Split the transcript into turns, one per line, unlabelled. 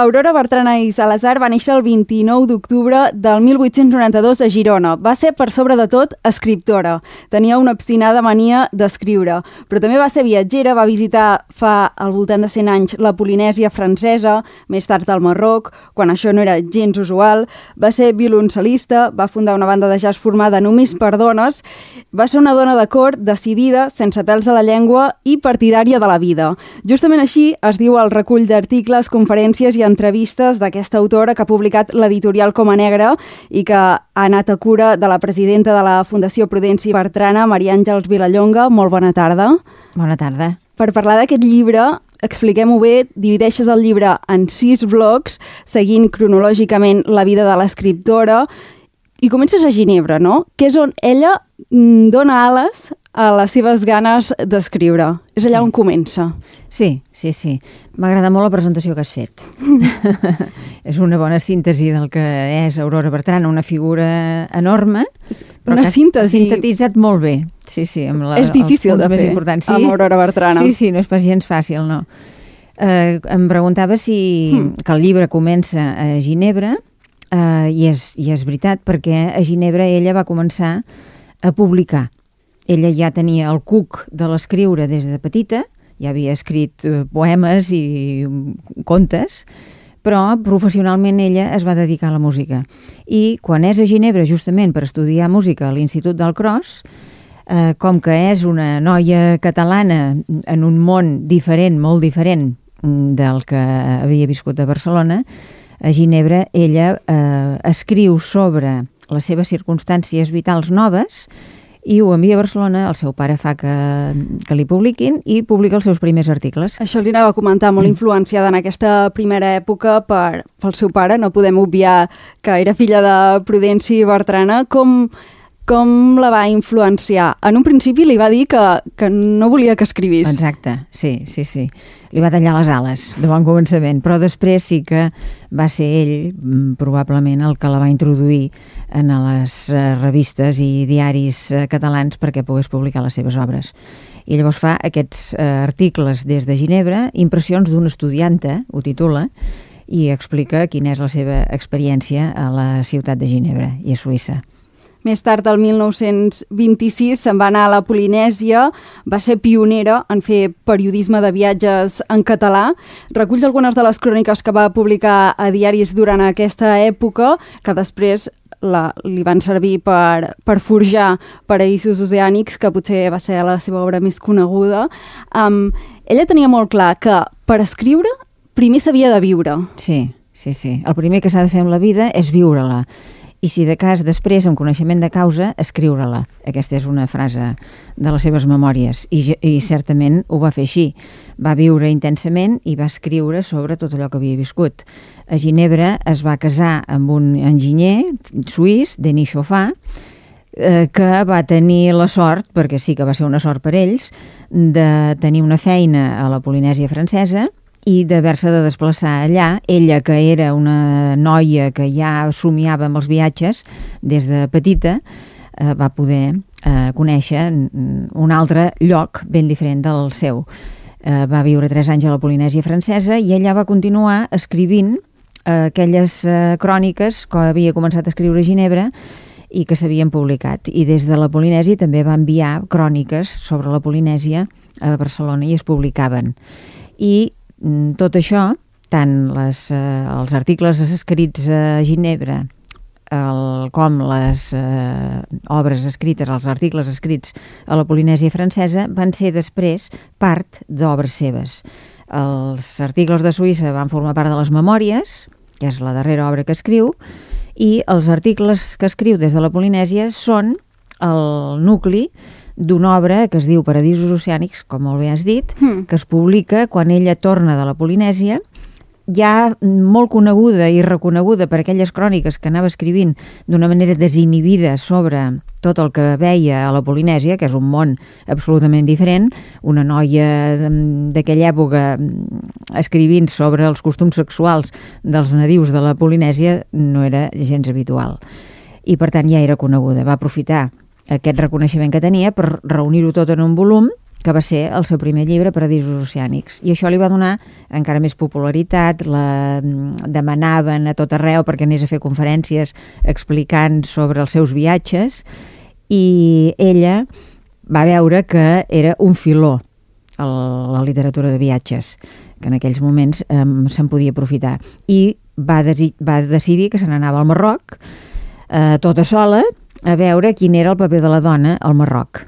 Aurora Bertrana i Salazar va néixer el 29 d'octubre del 1892 a Girona. Va ser, per sobre de tot, escriptora. Tenia una obstinada mania d'escriure, però també va ser viatgera, va visitar fa al voltant de 100 anys la Polinèsia francesa, més tard al Marroc, quan això no era gens usual. Va ser violoncel·lista, va fundar una banda de jazz formada només per dones, va ser una dona de cor decidida, sense pèls a la llengua i partidària de la vida. Justament així es diu el recull d'articles, conferències i entrevistes d'aquesta autora que ha publicat l'editorial Coma Negra i que ha anat a cura de la presidenta de la Fundació Prudenci Bertrana, Maria Àngels Vilallonga. Molt bona tarda.
Bona tarda.
Per parlar d'aquest llibre, expliquem-ho bé, divideixes el llibre en 6 blocs, seguint cronològicament la vida de l'escriptora, i comences a Ginebra, no? Que és on ella dona ales a les seves ganes d'escriure. És allà on comença.
Sí. M'agrada molt la presentació que has fet. És una bona síntesi del que és Aurora Bertrana, una figura enorme, però
una
que
síntesi.
has sintetitzat molt bé. Sí, amb
és difícil de fer amb Aurora Bertrana.
Sí, no és pas gens fàcil, no. Em preguntava que el llibre comença a Ginebra, i és veritat, perquè a Ginebra ella va començar a publicar. Ella ja tenia el cuc de l'escriure des de petita, ja havia escrit poemes i contes, però professionalment ella es va dedicar a la música. I quan és a Ginebra justament per estudiar música a l'Institut del Cros, com que és una noia catalana en un món diferent, molt diferent del que havia viscut a Barcelona, a Ginebra ella escriu sobre les seves circumstàncies vitals noves i ho envia a Barcelona, el seu pare fa que li publiquin i publica els seus primers articles.
Això li anava a comentar, molt influenciada en aquesta primera època pel seu pare. No podem obviar que era filla de Prudenci Bertrana. Com la va influenciar? En un principi li va dir que no volia que escrivís.
Exacte, sí. Li va tallar les ales de bon començament, però després sí que va ser ell probablement el que la va introduir en les revistes i diaris catalans perquè pogués publicar les seves obres. I llavors fa aquests articles des de Ginebra, Impressions d'una estudianta, ho titula, i explica quina és la seva experiència a la ciutat de Ginebra i a Suïssa.
Més tard, el 1926, se'n va anar a la Polinèsia, va ser pionera en fer periodisme de viatges en català. Recull algunes de les cròniques que va publicar a diaris durant aquesta època, que després li van servir per forjar Paraïsos oceànics, que potser va ser la seva obra més coneguda. Ella tenia molt clar que per escriure primer s'havia de viure.
Sí. El primer que s'ha de fer amb la vida és viure-la. I si de cas després, amb coneixement de causa, escriure-la. Aquesta és una frase de les seves memòries i certament ho va fer així. Va viure intensament i va escriure sobre tot allò que havia viscut. A Ginebra es va casar amb un enginyer suís, Denis Chauffat, que va tenir la sort, perquè sí que va ser una sort per ells, de tenir una feina a la Polinèsia francesa i d'haver-se de desplaçar allà. Ella, que era una noia que ja somiava amb els viatges des de petita, va poder conèixer un altre lloc ben diferent del seu. Va viure 3 anys a la Polinèsia francesa i ella va continuar escrivint aquelles cròniques que havia començat a escriure a Ginebra i que s'havien publicat. I des de la Polinèsia també va enviar cròniques sobre la Polinèsia a Barcelona i es publicaven. I tot això, tant els articles escrits a Ginebra com les obres escrites, els articles escrits a la Polinèsia francesa, van ser després part d'obres seves. Els articles de Suïssa van formar part de les memòries, que és la darrera obra que escriu, i els articles que escriu des de la Polinèsia són el nucli d'una obra que es diu Paradisos oceànics, com molt bé has dit, que es publica quan ella torna de la Polinèsia, ja molt coneguda i reconeguda per aquelles cròniques que anava escrivint d'una manera desinhibida sobre tot el que veia a la Polinèsia, que és un món absolutament diferent. Una noia d'aquella època escrivint sobre els costums sexuals dels nadius de la Polinèsia no era gens habitual. I per tant ja era coneguda. Va aprofitar aquest reconeixement que tenia per reunir-ho tot en un volum que va ser el seu primer llibre, Paradisos oceànics. I això li va donar encara més popularitat, la demanaven a tot arreu perquè anés a fer conferències explicant sobre els seus viatges, i ella va veure que era un filó la literatura de viatges, que en aquells moments se'n podia aprofitar. I va decidir que se n'anava al Marroc, tota sola, a veure quin era el paper de la dona al Marroc.